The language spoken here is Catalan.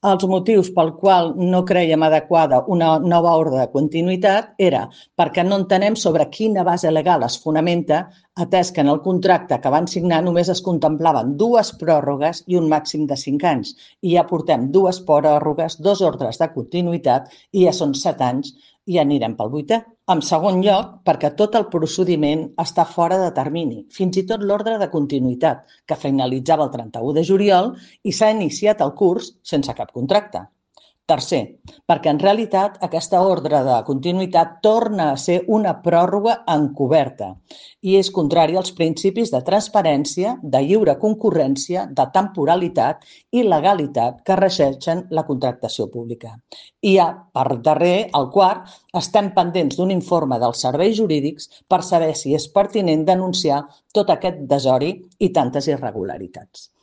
Els motius pel qual no creiem adequada una nova ordre de continuïtat era perquè no entenem sobre quina base legal es fonamenta, atès que en el contracte que van signar només es contemplaven dues pròrrogues i un màxim de 5 anys. I ja portem dues pròrrogues, dos ordres de continuïtat i ja són 7 anys i ja anirem pel 8è. En segon lloc, perquè tot el procediment està fora de termini, fins i tot l'ordre de continuïtat, que finalitzava el 31 de juliol i s'ha iniciat el curs sense cap contracte. Tercer, perquè en realitat aquesta ordre de continuïtat torna a ser una pròrroga encoberta i és contrari als principis de transparència, de lliure concurrència, de temporalitat i legalitat que regeixen la contractació pública. I ja, per darrer, el quart, estem pendents d'un informe dels serveis jurídics per saber si és pertinent denunciar tot aquest desori i tantes irregularitats.